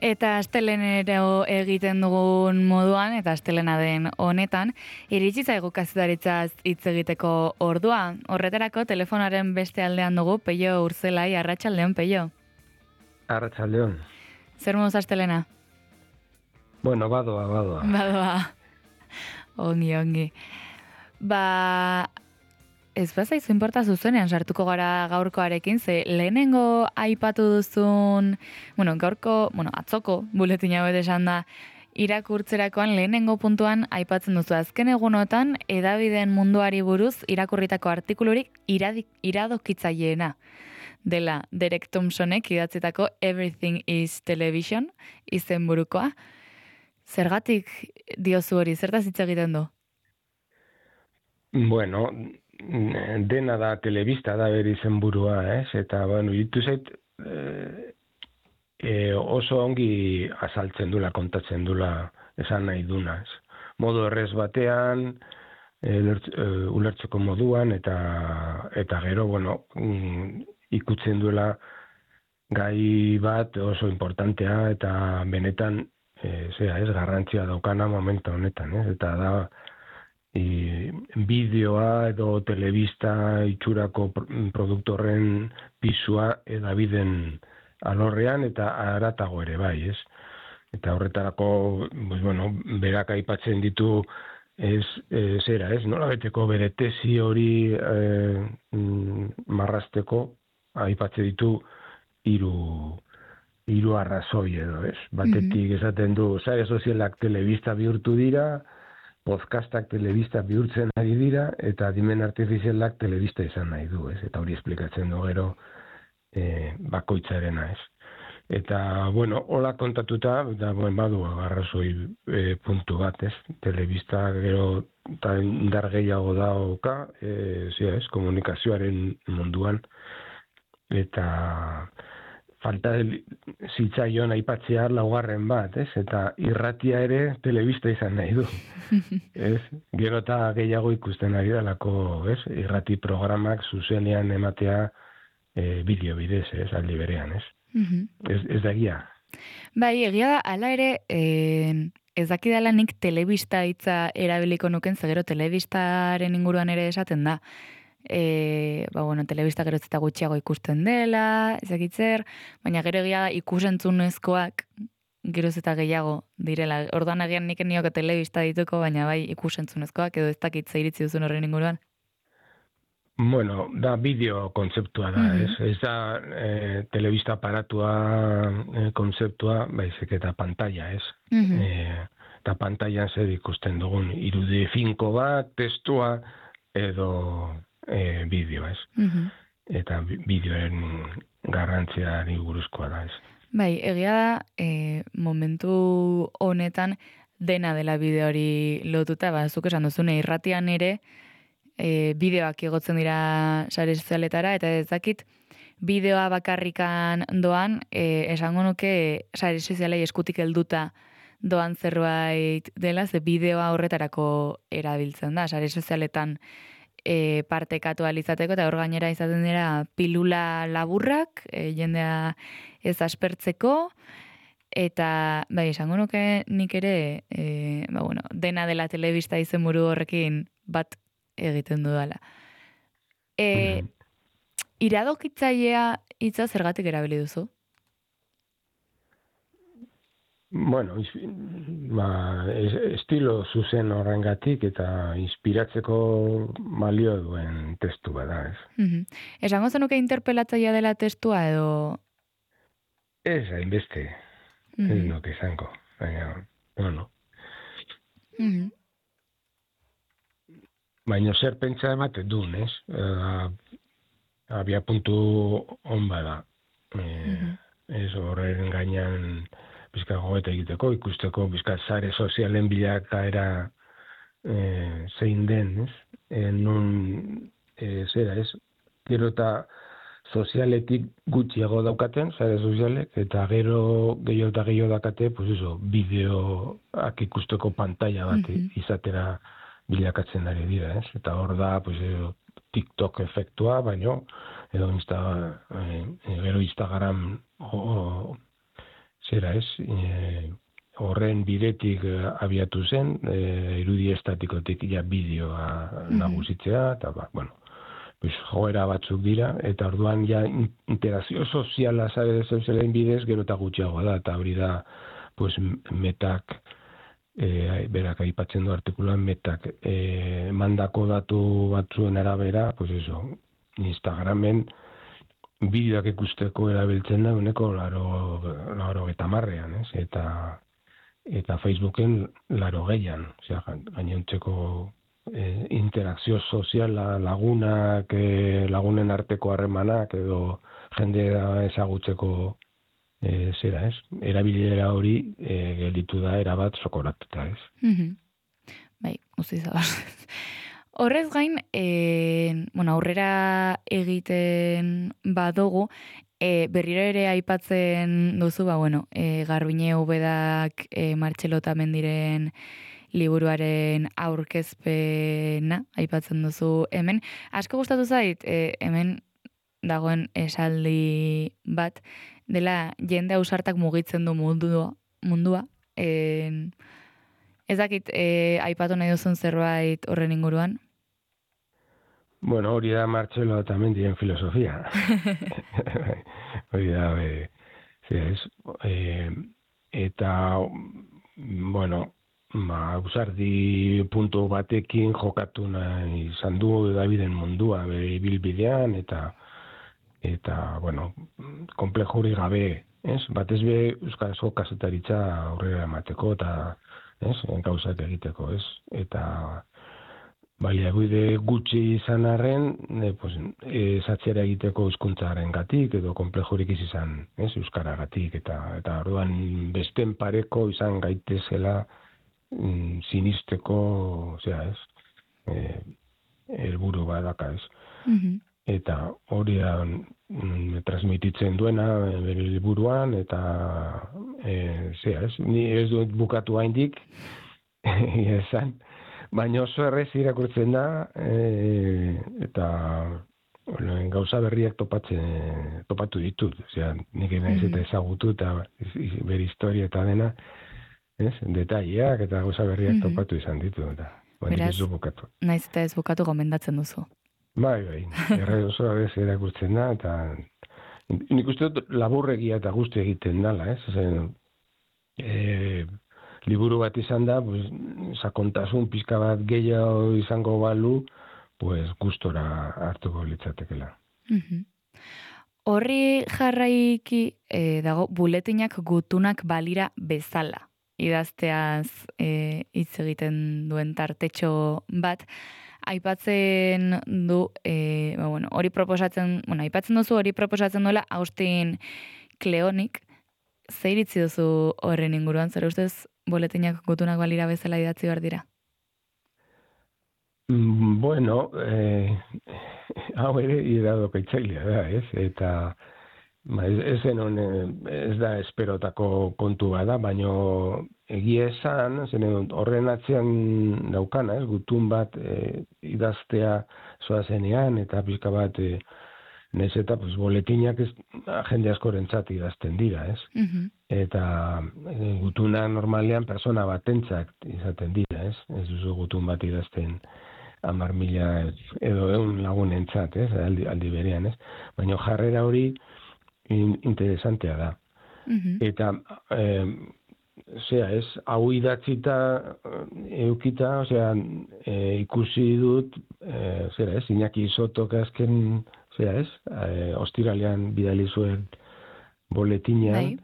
Eta astelenero egiten dugun moduan, eta astelena den honetan, iritsi zaigu kazetaritzaz hitz egiteko ordua. Horretarako telefonaren beste aldean dugu Peio Urzelai, arratsaldeon Peio. Arratsaldeon. Zer moduz astelena? Bueno, badoa. Badoa. Ongi. Ez bazaizu inporta zuzenean sartuko gara gaurkoarekin, ze lehenengo aipatu duzun, atzoko buletin hauet esan da, irakurtzerakoan lehenengo puntuan aipatzen duzu azken egunotan hedabideen munduari buruz irakurritako artikulurik iradokitzaileena dela Derek Thompsonek idatzitako Everything is Television izenburukoa. Zergatik diozu hori, zertaz hitz egiten du? Bueno, dena da telebista da bere izenburua, ez? Eta, iruditu zait oso ongi azaltzen dula, kontatzen dula, esan nahi duna, ez? Modu errez batean, ulertzeko moduan, eta gero, ikutzen duela gai bat oso importantea, eta benetan, garrantzia daukana momentu honetan, ez? Eta da, bideoa edo telebista itxurako produktorren pisua edabiden alorrean eta haratago ere bai, ez? Eta horretarako, berak aipatzen ditu nola beteko bere tesi hori marrasteko aipatzen ditu hiru arrazoi edo, ez? Batetik esaten du, sare sozialak telebista bihurtu dira, podcastak telebista bihurtzen ari dira, eta adimen artifizialak telebista izan nahi du, ez? Eta hori esplikatzen du gero bakoitzarena, ez? Eta, hola kontatuta, badu arrazoi puntu bat, ez? Telebista gero eta indar gehiago dauka, komunikazioaren munduan, eta falta zitzaion aipatzea laugarren bat, ez? Eta irratia ere telebista izan nahi du. Ez? Gero eta gehiago ikusten ari dalako, ez? Irrati programak zuzenean ematea bideo bidez, ez? Aldi berean, ez? Ez da egia. Bai, egia da, ala ere, ez dakidala nik telebista hitza erabiliko nuken, zegero telebistaren inguruan ere esaten da. Telebista gero eta gutxiago ikusten dela, ezakitzer, baina gero egia da ikusentzunezkoak geroz eta gehiago direla. Orduan agian nik nioke telebista dituko, baina bai ikusentzunezkoak edo ez dakitza iritzi duzun horren inguruan. Da bideo kontzeptua da, ez? Ez da telebista aparatua kontzeptua, baizik eta pantalla, ez? Eta pantailan zer ikusten dugun, irudi finko bat, testua, edo bideo, ez? Eta bideoen garrantziari buruzkoa da, ez? Bai, egia da, momentu honetan dena dela bideori lotuta, zuk esan duzune, irratian ere, bideoak igotzen dira sare sozialetara, eta ez dakit bideoa bakarrikan doan, esango nuke sare sozialei eskutik helduta doan zerbait dela, ze bideoa horretarako erabiltzen da, sare sozialetan partekatu alizateko, eta hor gainera izaten dira pilula laburrak, jendea ez aspertzeko, eta bai, esango nuke nik ere, dena dela telebista izenburu horrekin bat egiten dudala. Iradokitzailea hitza zergatik erabili duzu? Estilo zuzen horrengatik eta inspiratzeko balio duen testu bada, ez? Esango zenuke interpelatzailea dela testua edo? Ez, hainbeste. Ez nuke izango. Baina, Baina zer pentsa ematen duen, ez? Abia puntu on bada. Ez horren gainean bizka gogeta egiteko, ikusteko bizka sare sozialen bilakaera zein den, ez? Gero eta sozialetik gutxiago daukaten, sare sozialek, eta gero gehiago daukate, bideoak ikusteko pantalla bat izatera bilakatzen ari dira, ez? Eta hor da, TikTok efektua, baino, edo gero Instagram zera ez, horren bidetik abiatu zen, irudi estatikotik bideoa nagusitzea, eta joera batzuk dira, eta orduan ja interakzio soziala zelen bidez, gero eta gutxiagoa da, eta hori da, metak, berak aipatzen du artikulan, metak mandako datu batzuen arabera, Instagramen bideoak ikusteko erabiltzen da, uneko 80ean, eta Facebooken 80ean, gainontzeko interakzio soziala, lagunen arteko harremanak, edo jendea ezagutzeko erabilera hori gelditu da erabat sokoratuta, ez? Bai, guzti zabaz. Horrez gain, aurrera egiten badugu, berriro ere aipatzen duzu, Garbiñe Ubedak Martxelo Otamendiren liburuaren aurkezpena aipatzen duzu hemen. Asko gustatu zait, hemen dagoen esaldi bat, dela jende ausartak mugitzen du mundua. Ez dakit, aipatu nahi duzun zerbait horren inguruan? Hori da Martxelo Otamendiren filosofia. Hori da, eta, ausardi puntu batekin jokatu nahi izan du Daviden mundua, bere ibilbidean, eta komplejuri gabe, batez be euskarazko kazetaritza aurrera emateko, eta gauzak egiteko, eta baliabide gutxi izan arren, zatxera egiteko hizkuntzaren gatik, edo komplejurik izan, euskaragatik, eta orduan besten pareko izan gaitezela sinisteko, helburu badaka, Eta hori da transmititzen duena bere liburuan, eta ni ez dut bukatu haindik, esan, baina oso errez irakurtzen da, eta gauza berriak topatu ditut, nik naiz eta ezagutu, eta bere historia eta dena, detaileak eta gauza berriak topatu izan ditu, eta nik ez du bukatu. Naiz eta ez bukatu gomendatzen duzu. Bai, erre oso abez erakurtzen da, eta nik uste dut laburregia eta guzti egiten dala, liburu bat izan da, sakontasun pizka bat gehiago izango balu, gustora hartuko litzatekela. Horri jarraiki dago buletinak gutunak balira bezala, idazteaz hitz egiten duen tartetxo bat, aipatzen du, hori proposatzen, aipatzen duzu hori proposatzen duela Austin Kleonik, zer iritzi duzu horren inguruan, zer ustez boletinak gutunak balira bezala idatzi behar dira? Hau ere iradokaitzailea da, eta ez da esperotako kontu bada, baina egia esan, horren atzean daukana, gutun bat idaztea zoazenean, eta pizka bat nez eta boletinak jende askorentzat idazten dira, Eta gutuna normalean persona batentzat izaten dira, Ez duzu gutun bat idazten 10.000 edo 100 lagunentzat, aldi berean, Baina jarrera hori interesantea da. Eta hau idatzita eukita, ikusi dut, Iñaki Sotok azken, ostiralean bidali zuen boletinean,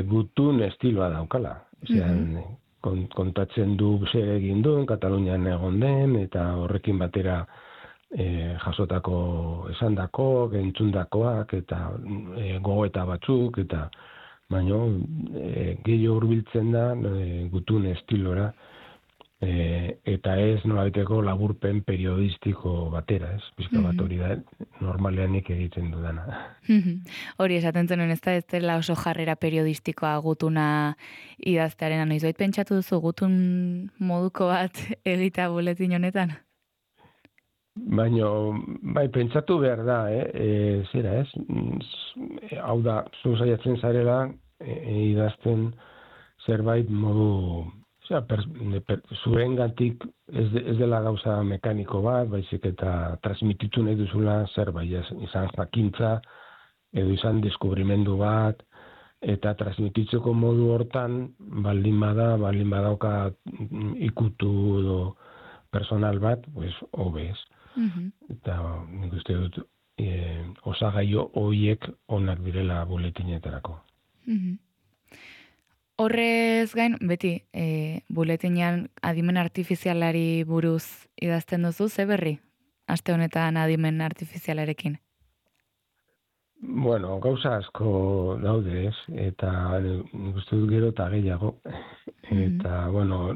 gutun estiloa daukala. Kontatzen du zer egin duen, Katalunian egon den, eta horrekin batera jasotako esandako, entzundakoak, eta gogoeta batzuk, eta baino gehiago hurbiltzen da gutun estilora, eta ez nolabaiteko laburpen periodistiko batera, Pizka bat hori da, normalean nik egiten dudana. Hori esaten zenuen, ez dela oso jarrera periodistikoa gutuna idaztearen, noiz bait pentsatu duzu gutun moduko bat egitea buletin honetan? Baina, pentsatu behar da, hau da, zu saiatzen zarela, idazten zerbait modu, zuengatik ez dela gauza mekaniko bat, baizik eta transmititu nahi duzula zerbait, izan jakintza, edo izan deskubrimendu bat, eta transmititzeko modu hortan, baldin badauka ikutu edo personal bat, pues, hobe ez. Eta nik uste dut, osagaio horiek onak direla buletinetarako. Horrez gain, beti, buletinean adimen artifizialari buruz idazten duzu, ze berri? Aste honetan adimen artifizialarekin? Bueno, gauza asko daude ez, eta nik uste dut gero eta gehiago. Eta, bueno,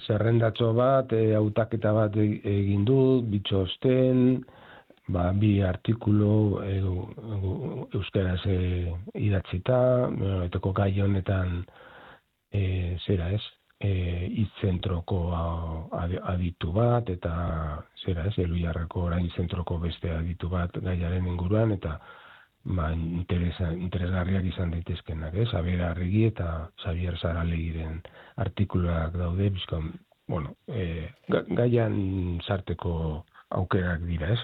zerrendatxo bat, hautaketa bat egin dut, bitxosten, bi artikulu euskaraz idatzita, eteko gai honetan zera ez, hitzentroko aditu bat, eta zera ez, Elhuyarreko orain zentroko beste aditu bat gaiaren inguruan, eta interesgarriak izan daitezkenak, ez? Xabier Arregi eta Xabier Saralegiren artikuluak daude, bizkon, bueno, gaian sarteko aukerak dira, ez?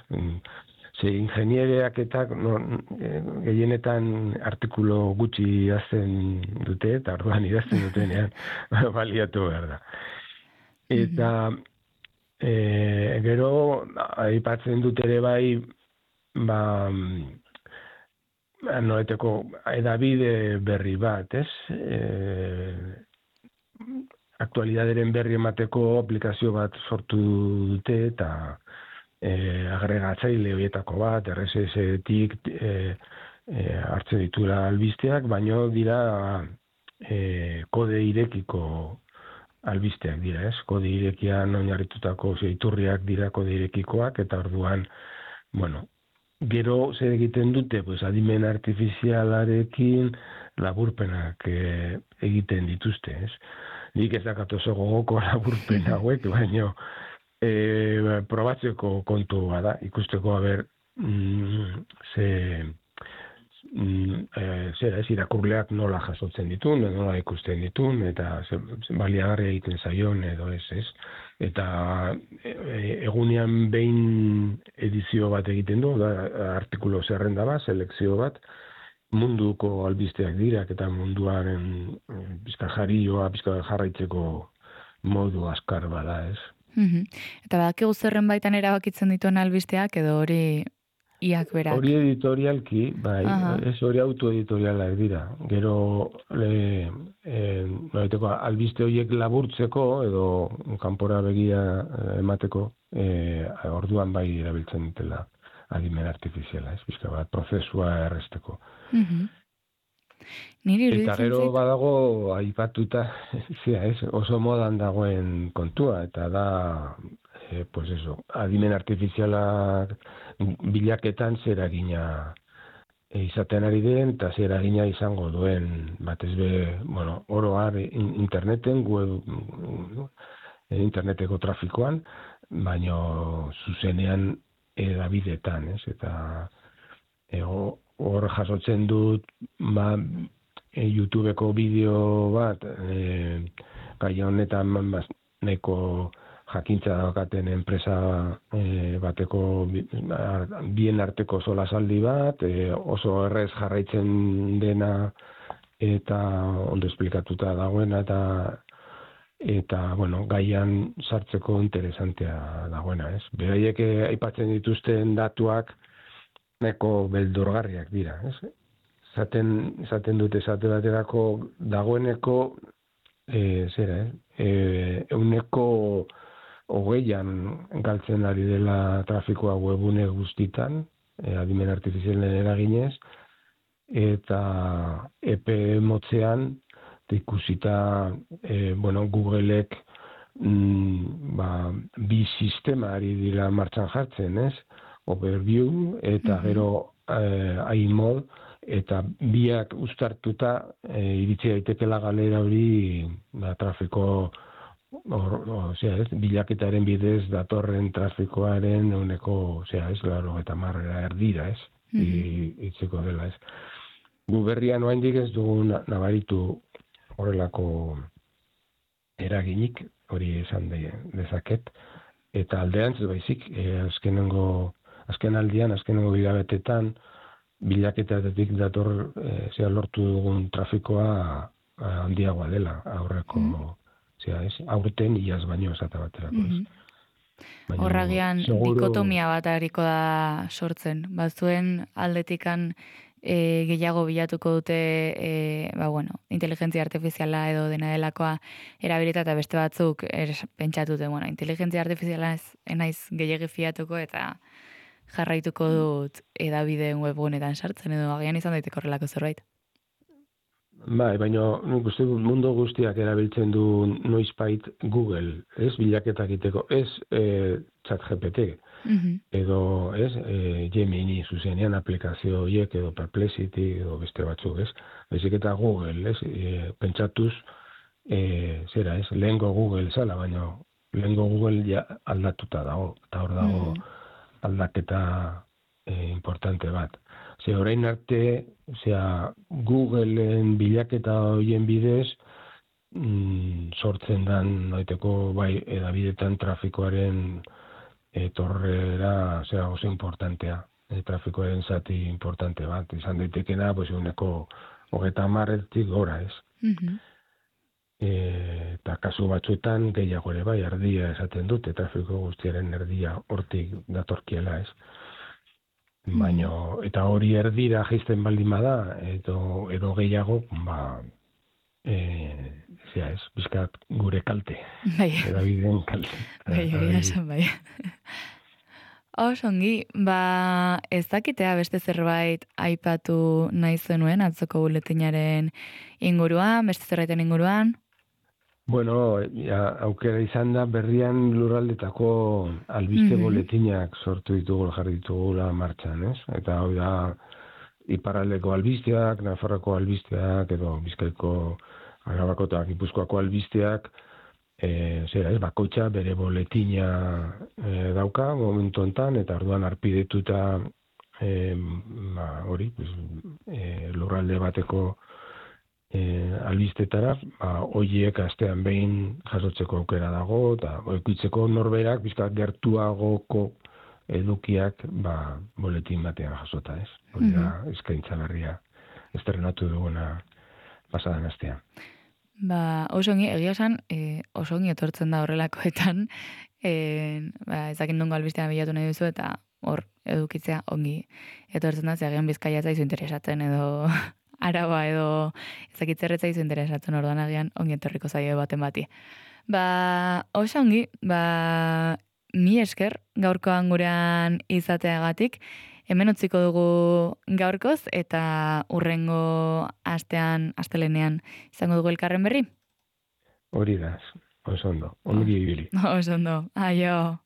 Ze ingeniereak eta gehienetan artikulu gutxi idazten dute, eta orduan idazten dutenean baliatu behar da. Eta gero, aipatzen dut ere bai, noeteko edabide berri bat, ez? Aktualidaderen berri emateko aplikazio bat sortu dute, eta agregatzaile horietako bat, RSS-tik hartzen ditura albisteak, baino dira kode irekiko albisteak dira, ez? Kode irekian oinarritutako iturriak dira kode irekikoak, eta orduan, bueno, gero zer egiten dute, pues adimen artifizialarekin laburpenak egiten dituzte, ez? Nik ez dakat oso gogoko laburpen hauek, baino probatzeko kontu bada, ikusteko haber zera ez, irakurleak nola jasotzen ditun, nola ikusten ditun, eta baliagarri egiten zaion edo ez. Eta egunean behin edizio bat egiten du, artikulo zerrenda bat, selekzio bat, munduko albisteak dirak eta munduaren bizka jarioa, bizka jarraitzeko modu askar bada, ez? Eta badakigu zerren baitan erabakitzen dituen albisteak, edo hori iak berak? Hori editorialki, bai, ez hori autoeditorialak dira. Gero, albiste horiek laburtzeko, edo kanpora begia emateko, orduan bai erabiltzen dutela adimen artifiziala, ez bizka bat, prozesua erresteko. Eta gero badago aipatuta, oso modan dagoen kontua, eta da, pues eso, adimen artifizialak bilaketan zer eragina izaten ari den, eta zer eragina izango duen, batez be, bueno, oroar interneten, interneteko trafikoan, baino zuzenean edabidetan, ez? Eta hor jasotzen dut, YouTubeko bideo bat, gai honetan neko jakintza daukaten enpresa bateko bien arteko solasaldi bat, oso errez jarraitzen dena eta ondo esplikatuta dagoena eta bueno, gaian sartzeko interesantea dagoena, ez? Beraiek aipatzen dituzten datuak neko beldurgarriak dira, ez? Esaten dute esate baterako dagoeneko euneko 20an galtzen ari dela trafikoa webune guztitan, adimen artifizialen eraginez, eta epe motzean ikusita Googleek bi sistema ari dira martxan jartzen, ez? Overview eta gero iMod, eta biak uztartuta iritsi daitekela galera hori trafiko bilaketaren bidez datorren trafikoaren euneko 80 erdira, ez? Itzeko dela, ez? Gu berrian oraindik ez dugu nabaritu horrelako eraginik, hori esan dezaket, eta aldeantz baizik, azkenengo hilabetetan, bilaketatik dator lortu dugun trafikoa handiagoa dela, aurreko, aurten iaz baino esate baterako. Horragian dikotomia bat hariko da sortzen. Bazuen aldetikan gehiago bilatuko dute inteligentzia artifiziala edo dena delakoa erabilita eta beste batzuk pentsatute, inteligentzia artifiziala enaiz gehiagi fiatuko eta jarraituko dut edabideen webgunetan sartzen edo agian izan daiteko horrelako zerbait. Bai, baina nik uste dut mundu guztiak erabiltzen du noizbait Google, ez bilaketak egiteko, ez ChatGPT, edo ez Gemini zuzenean aplikazio horiek edo Perplexity edo beste batzuk, ez? Baizik eta Google, ez? Pentsatuz, lehengo Google zala, baina lehengo Google ja aldatuta dago, eta hor dago aldaketa importante bat. Orain arte, Googleen bilaketa horien bidez, sortzen dan noiteko bai edabidetan trafikoaren etorrera oso importantea, trafikoaren zati importante bat, izan daitekena, uneko 30 gora, ez? Eta kasu batzuetan gehiago ere bai, erdia esaten dute, trafiko guztiaren erdia hortik datorkiela, ez? Baina, eta hori erdira jaisten baldin bada, edo gehiago, bizkat gure kalte. Edabideen kalte. Bai. Osongi, ez dakitea beste zerbait aipatu nahi zenuen atzoko buletinaren inguruan, beste zerbaiten inguruan? Bueno, aukera izan da berrian lurraldetako albiste boletinak sortu ditugu, jarri ditugula martxan, ez? Eta hau da, iparraldeko albisteak, Nafarroko albisteak, edo Bizkaiko, Arabako eta Gipuzkoako albisteak, bakoitza bere boletina dauka momentu hontan, eta orduan arpidetuta lurralde bateko albistetara, horiek astean behin jasotzeko aukera dago, eta oikuitzeko norberak, bizkat gertuagoko edukiak, boletin batean jasota, ez? Hori da, eskaintza berria estrenatu duguna pasadan astean. Osongi, egia esan, osongi etortzen da horrelakoetan, ezakin nongo albistean bilatu nahi duzu, eta hor edukitzea ongi etortzen da, zeagian Bizkaia zaizu interesatzen edo Araba edo ezakitzerretza izu interesatzen orduan agian ongi etorriko zaio baten bati. Oso ongi, mi esker gaurkoan gurean izateagatik, hemen utziko dugu gaurkoz eta hurrengo astelenean izango dugu elkarren berri? Hori da, oso ondo, ongi ibili. Oso ondo, aio.